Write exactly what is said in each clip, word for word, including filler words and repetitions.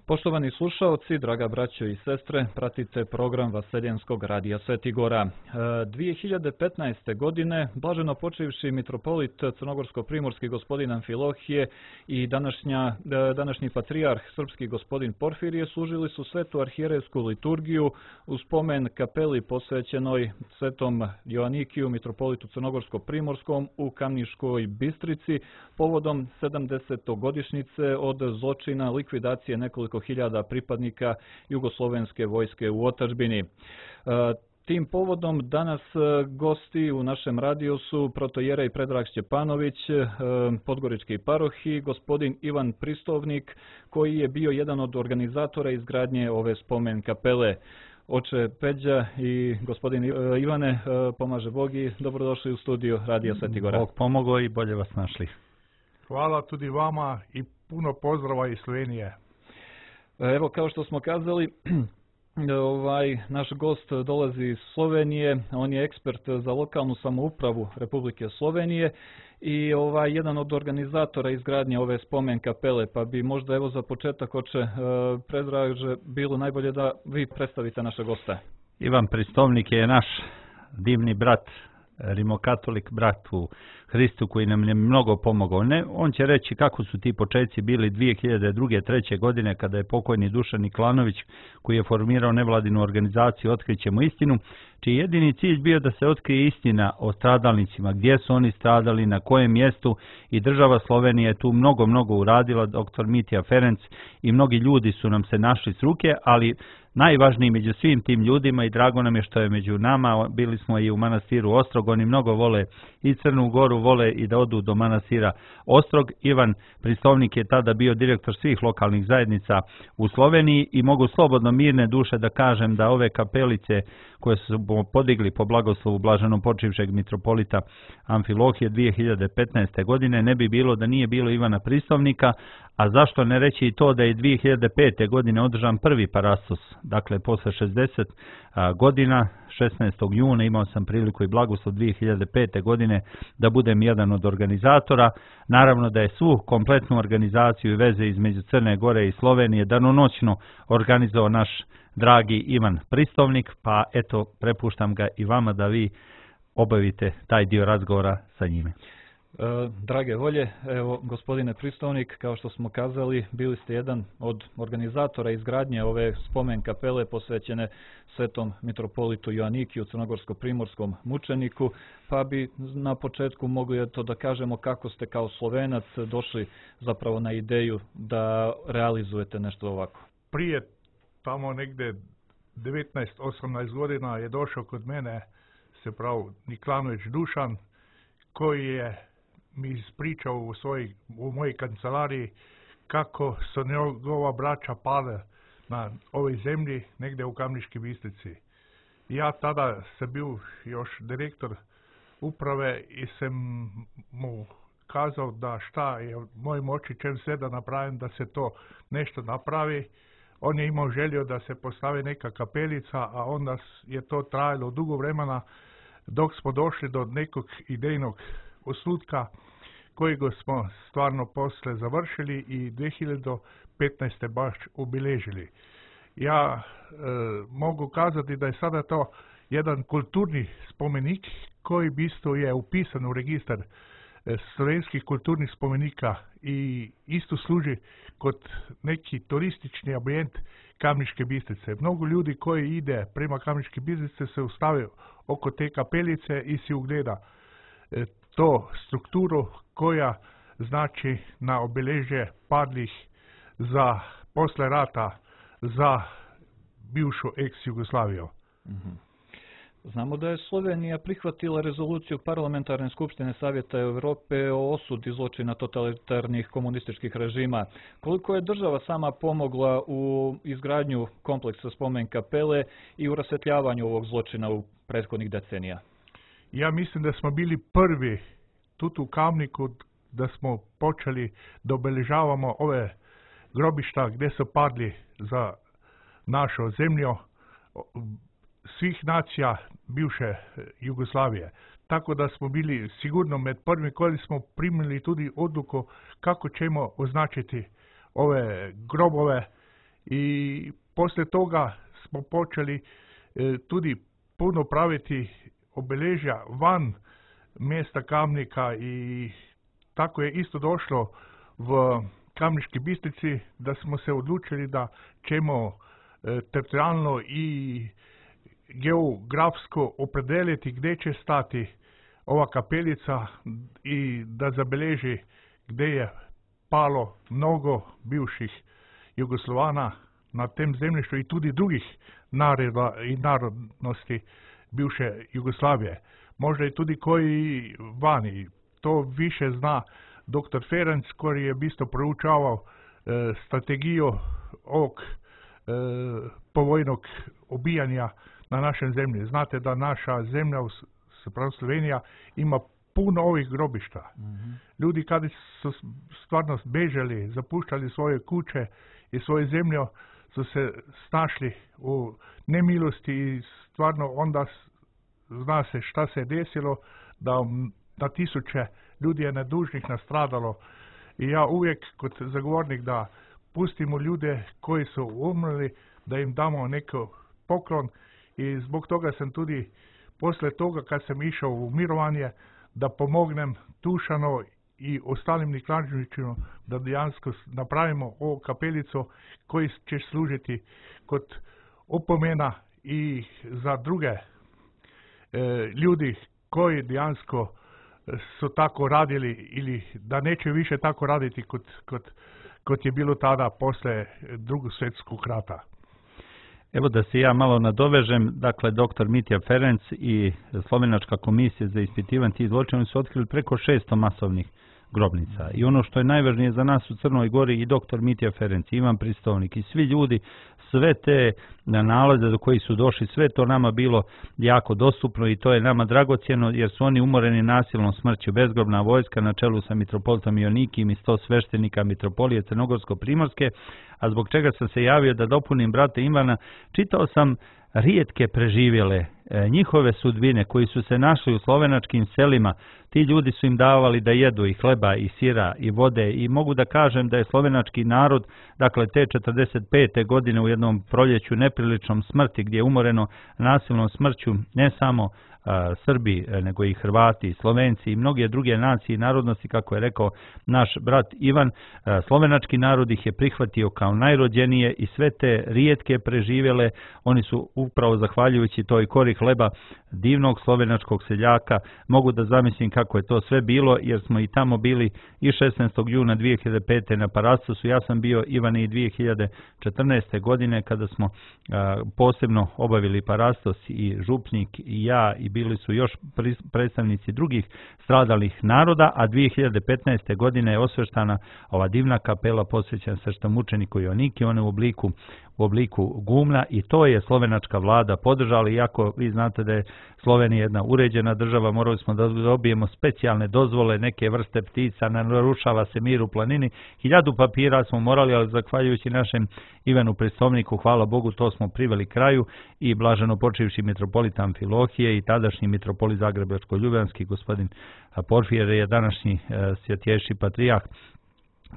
Poštovani slušaoci, draga braćo i sestre, pratite program Vaseljenskog radija Sveti Gora. dvije hiljade petnaeste. godine blaženo počivši mitropolit crnogorsko-primorski gospodin Amfilohije i današnja, današnji patrijarh srpski gospodin Porfirije služili su svetu arhijerejsku liturgiju u spomen kapeli posvećenoj svetom Joanikiju, mitropolitu crnogorsko-primorskom u Kamniškoj Bistrici povodom sedamdesetogodišnjice od zločina likvidacije nekoliko hiljada pripadnika jugoslovenske vojske u otadžbini. Tim povodom danas gosti u našem radiju su protojerej Predrag Šćepanović, podgorički paroh, i gospodin Ivan Pristovnik, koji je bio jedan od organizatora izgradnje ove spomen kapele. Oče Peđa i gospodin Ivane, pomaže Bog i dobrodošli u studiju Radija Sveti Gora. Bog pomogao i bolje vas našli. Hvala tudi vama i puno pozdrava iz Slovenije. Evo, kao što smo kazali, ovaj naš gost dolazi iz Slovenije, on je ekspert za lokalnu samoupravu Republike Slovenije i ovaj jedan od organizatora izgradnje ove spomen kapele, pa bi možda evo za početak, oče Predraže, bilo najbolje da vi predstavite naše gosta. Ivan Pristovnik je naš divni brat, rimokatolik brat u Hristu, koji nam je mnogo pomogao. Ne, on će reći kako su ti početci bili dvije hiljade druge. treće. godine, kada je pokojni Dušan Niklanović, koji je formirao nevladinu organizaciju Otkrićemo istinu, čiji jedini cilj bio da se otkrije istina o stradalnicima, gdje su oni stradali, na kojem mjestu, i država Slovenija je tu mnogo, mnogo uradila, doktor Mitja Ferenc i mnogi ljudi su nam se našli s ruke, ali najvažniji među svim tim ljudima, i drago nam je što je među nama, bili smo i u manastiru Ostrog, oni mnogo vole i Crnu Goru, vole i da odu do manastira Ostrog. Ivan Pristovnik je tada bio direktor svih lokalnih zajednica u Sloveniji i mogu slobodno mirne duše da kažem da ove kapelice koje su podigli po blagoslovu blaženom počivšeg mitropolita Amfilohije dvije hiljade petnaeste. godine ne bi bilo da nije bilo Ivana Pristovnika, a zašto ne reći i to da je dvije hiljade pete. godine održan prvi parastos, dakle posle šezdeset godina, šesnaestog juna imao sam priliku i blagoslov dvije hiljade pete. godine da budem jedan od organizatora. Naravno da je svu kompletnu organizaciju i veze između Crne Gore i Slovenije danonoćno organizovao naš dragi Ivan Pristovnik, pa eto, prepuštam ga i vama da vi obavite taj dio razgovora sa njime. Drage volje, evo, gospodine Pristovnik, kao što smo kazali, bili ste jedan od organizatora izgradnje ove spomen kapele posvećene svetom mitropolitu Joanikiju, crnogorsko-primorskom mučeniku, pa bi na početku mogli to da kažemo kako ste kao Slovenac došli zapravo na ideju da realizujete nešto ovako. Prije tamo negde devetnaest osamnaest godina je došao kod mene, se pravi Niklanović Dušan, koji je mi ispričao u, svoj, u mojoj kancelariji kako su njegova braća pale na ovoj zemlji negdje u Kamniškoj Bistrici. Ja tada sam bio još direktor uprave i sam mu kazao da šta je u mojoj moći, čem sve da napravim da se to nešto napravi. On je imao želio da se postavi neka kapelica, a onda je to trajalo dugo vremena dok smo došli do nekog idejnog osnutka kojega smo stvarno posle završili i dvije hiljade petnaeste. baš obilježili. Ja e, mogu kazati da je sada to jedan kulturni spomenik koji isto je upisan u registar e, slovenskih kulturnih spomenika i isto služi kod neki turistični ambijent Kamniške Bistrice. Mnogo ljudi koji ide prema Kamniške Bistrice se ustavi oko te kapelice i si ugleda e, to strukturu koja znači na obeležje padlih za posle rata za bivšu ex-Jugoslaviju. Mm-hmm. Znamo da je Slovenija prihvatila rezoluciju Parlamentarne skupštine Savjeta Europe o osudi zločina totalitarnih komunističkih režima. Koliko je država sama pomogla u izgradnju kompleksa spomen kapele i u rasvetljavanju ovog zločina u prethodnih decenija? Ja mislim da smo bili prvi tu u Kamniku da smo počeli da obeležavamo ove grobišta gdje su padli za našu zemlju svih nacija bivše Jugoslavije. Tako da smo bili sigurno med prvimi koji smo primili tudi odluku kako ćemo označiti ove grobove i poslije toga smo počeli e, tudi puno praviti obeležja van mjesta Kamnika i tako je isto došlo v Kamniški Bistrici, da smo se odlučili da ćemo e, teritorijalno i geografsko opredeliti gdje će stati ova kapelica i da zabeleži gdje je palo mnogo bivših Jugoslovana na tem zemljištu i tudi drugih naroda i narodnosti bivše Jugoslavije. Možda i tudi koji vani. To više zna doktor Ferenc koji je bisto proučavao e, strategiju ovog e, povojnog obijanja na našem zemlji. Znate da naša zemlja, zapravo Slovenija, ima puno ovih grobišta. Mm-hmm. Ljudi kada su stvarno bežali, zapuštali svoje kuće i svoje zemlje, su se snašli u nemilosti i stvarno onda zna se šta se je desilo, da na tisuće ljudi je nedužnih nastradalo. I ja uvijek kot zagovornik da pustimo ljude koji su umrli, da im damo neko poklon i zbog toga sam tudi poslije toga kad sam išao u mirovanje da pomognem Tušano i ostalim Niklančevićima da dejansko napravimo ovu kapelicu koji će služiti kot opomena i za druge e, ljudi koji dejansko su tako radili ili da neće više tako raditi kot, kot, kot je bilo tada posle drugog svjetskog rata. Evo da se ja malo nadovežem, dakle doktor Mitja Ferenc i Slovenačka komisija za ispitivanje tih zločina su otkrili preko šesto masovnih grobnica. I ono što je najvažnije za nas u Crnoj Gori i doktor Mitja Ferenc, Ivan Pristovnik i svi ljudi, sve te nalaze do kojih su došli, sve to nama bilo jako dostupno i to je nama dragocjeno jer su oni umoreni nasilnom smrću. Bezgrobna vojska na čelu sa mitropolitom Ionikim i sto sveštenika mitropolije Crnogorsko-primorske, a zbog čega sam se javio da dopunim brate Ivana, čitao sam rijetke preživjele, e, njihove sudbine koji su se našli u slovenačkim selima. Ti ljudi su im davali da jedu i hleba i sira i vode i mogu da kažem da je slovenački narod, dakle te četrdeset pete godine u jednom proljeću nepriličnom smrti gdje je umoreno nasilnom smrću ne samo a, Srbi, nego i Hrvati, i Slovenci i mnoge druge nacije i narodnosti, kako je rekao naš brat Ivan, a, slovenački narod ih je prihvatio kao najrođenije i sve te rijetke preživjele, oni su upravo zahvaljujući toj kori hleba divnog slovenačkog seljaka, mogu da zamislim kako je to sve bilo, jer smo i tamo bili i šesnaestog juna dvije hiljade pete na Parastosu. Ja sam bio, Ivane, i dvije hiljade četrnaeste. godine kada smo a, posebno obavili Parastos i župnik i ja i bili su još predstavnici drugih stradalih naroda, a dvije hiljade petnaeste. godine je osveštana ova divna kapela posvećena sveštemučeniku Ioniki, one u obliku u obliku gumna i to je slovenačka vlada podržala, iako vi znate da je Slovenija jedna uređena država, morali smo da dobijemo specijalne dozvole, neke vrste ptica, narušava se mir u planini, hiljadu papira smo morali, ali zahvaljujući našem Ivanu Pristovniku, hvala Bogu, to smo priveli kraju i blaženo počivši mitropolit Amfilohije i tadašnji mitropolit Zagrebačko-Ljubljanski gospodin Porfirije je današnji e, svjetješći patrijarh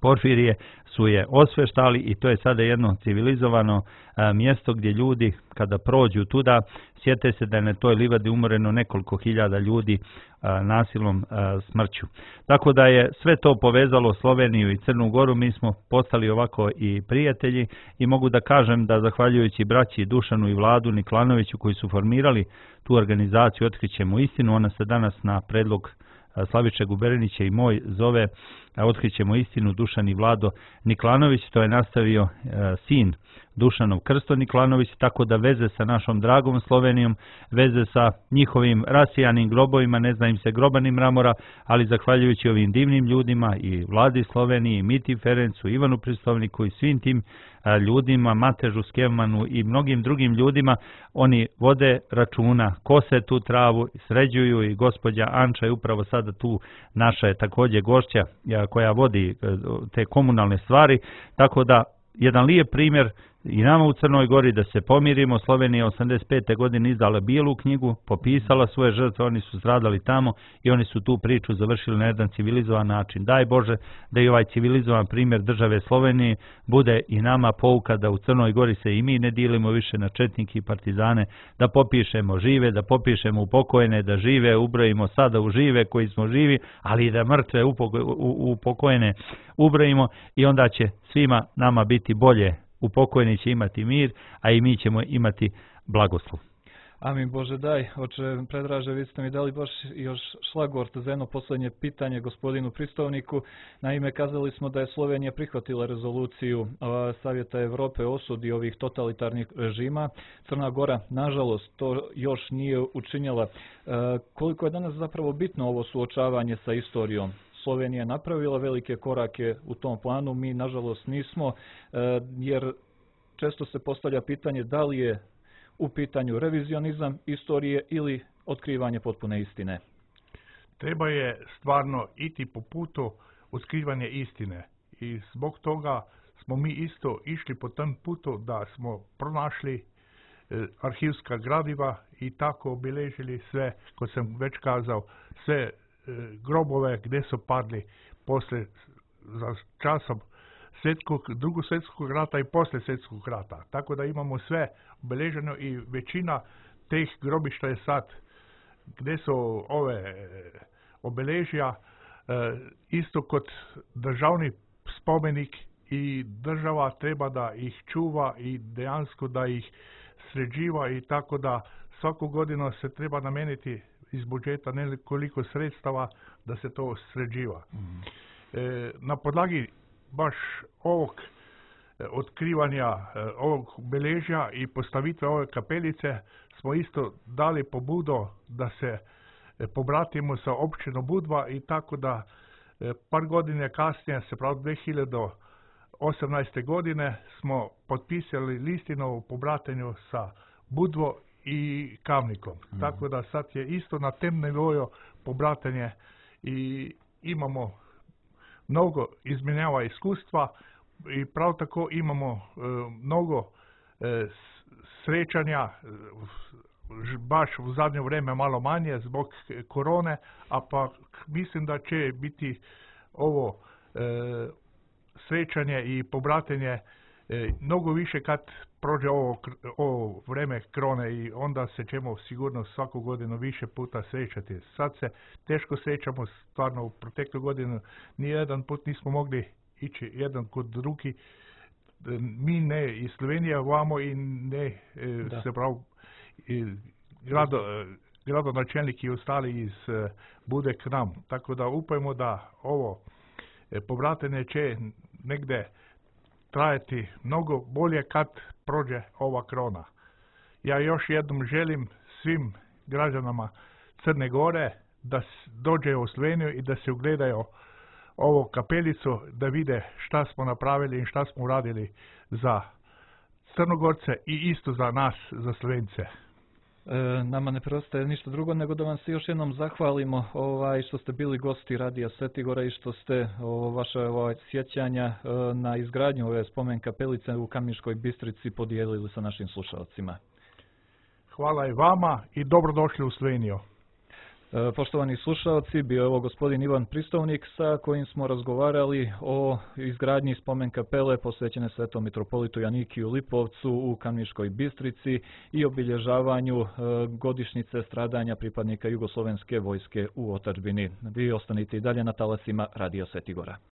Porfirije su je osveštali i to je sada jedno civilizovano a, mjesto gdje ljudi kada prođu tuda sjete se da je na toj livadi umoreno nekoliko hiljada ljudi a, nasilnom a, smrću. Tako da je sve to povezalo Sloveniju i Crnu Goru, mi smo postali ovako i prijatelji i mogu da kažem da zahvaljujući braći Dušanu i Vladu Niklanoviću koji su formirali tu organizaciju Otkrićemo istinu, ona se danas na predlog Slaviše Guberinića i moj zove Otkrićemo istinu Dušan i Vlado Niklanović, to je nastavio e, sin Dušanov Krsto Niklanović, tako da veze sa našom dragom Slovenijom, veze sa njihovim rasijanim grobovima, ne zna im se grobanim mramora, ali zahvaljujući ovim divnim ljudima i Vladi Sloveniji, i Miti Ferencu, Ivanu Pristovniku i svim tim a, ljudima, Matežu Skevmanu i mnogim drugim ljudima, oni vode računa, kose tu travu, sređuju i gospođa Anča je upravo sada tu, naša je također gošća a, koja vodi a, te komunalne stvari, tako da jedan lijep primjer i nama u Crnoj Gori da se pomirimo. Slovenija je osamdeset pete godine izdala bijelu knjigu, popisala svoje žrtve, oni su stradali tamo i oni su tu priču završili na jedan civilizovan način. Daj Bože da i ovaj civilizovan primjer države Slovenije bude i nama pouka da u Crnoj Gori se i mi ne dilimo više na četnike i partizane, da popišemo žive, da popišemo upokojene, da žive ubrojimo sada u žive koji smo živi, ali i da mrtve upokojene ubrojimo i onda će svima nama biti bolje. Upokojeni će imati mir, a i mi ćemo imati blagoslov. Amin Bože daj. Oče Predraže, vi ste mi dali baš još šlagvort za jedno posljednje pitanje gospodinu Pristovniku. Naime, kazali smo da je Slovenija prihvatila rezoluciju Savjeta Europe o osudi ovih totalitarnih režima. Crna Gora, nažalost, to još nije učinila. Koliko je danas zapravo bitno ovo suočavanje sa istorijom? Slovenija je napravila velike korake u tom planu, mi nažalost nismo, jer često se postavlja pitanje da li je u pitanju revizionizam istorije ili otkrivanje potpune istine. Treba je stvarno iti po putu otkrivanja istine i zbog toga smo mi isto išli po tom putu da smo pronašli arhivska gradiva i tako obilježili sve, ko sam već kazao, sve grobove gdje su padli posle za časom svjetskog, drugog svjetskog rata i poslije svjetskog rata. Tako da imamo sve obilježeno i većina teh grobišta je sad gdje su ove obilježja isto kod državni spomenik i država treba da ih čuva i dejansko da ih sređiva i tako da svaku godinu se treba nameniti iz budžeta nekoliko sredstava da se to sređiva. Mm. E, na podlagi baš ovog e, otkrivanja e, ovog obeležja i postavitve ove kapelice smo isto dali pobudu da se e, pobratimo sa općinom Budva i tako da e, par godine kasnije, se pravi dve hiljade osamnaeste godine, smo potpisali listinu o pobratenju sa Budvo i Kamnikom. Mm. Tako da sad je isto na tem nivoju pobratanje i imamo mnogo izmenjava iskustva i prav tako imamo e, mnogo e, srećanja, baš u zadnje vrijeme malo manje zbog korone, a pa mislim da će biti ovo e, srećanje i pobratenje e, mnogo više kad prođe ovo, ovo vreme krone i onda se ćemo sigurno svaku godinu više puta srećati. Sad se teško srećamo, stvarno u proteklu godinu nijedan put nismo mogli ići jedan kod drugi. Mi ne iz Slovenije vamo i ne da. se pravi grado, gradonačelnik i ostali iz Bude k nam. Tako da upajmo da ovo povratene će negde trajati mnogo bolje kad prođe ova krona. Ja još jednom želim svim građanama Crne Gore da dođe u Sloveniju i da se ugledaju ovu kapelicu, da vide šta smo napravili i šta smo uradili za Crnogorce i isto za nas, za Slovence. E, nama ne preostaje ništa drugo nego da vam se još jednom zahvalimo ovaj, što ste bili gosti Radija Svetigora i što ste o, vaše ovaj, sjećanja e, na izgradnju ove spomen kapelice u Kamniškoj Bistrici podijelili sa našim slušalcima. Hvala i vama i dobrodošli u Sloveniju. E, poštovani slušalci, bio je ovo gospodin Ivan Pristovnik sa kojim smo razgovarali o izgradnji spomen kapele posvećene svetom mitropolitu Janikiju Lipovcu u Kamniškoj Bistrici i obilježavanju e, godišnjice stradanja pripadnika Jugoslovenske vojske u otadžbini. Vi ostanite i dalje na talasima Radija Svetigora.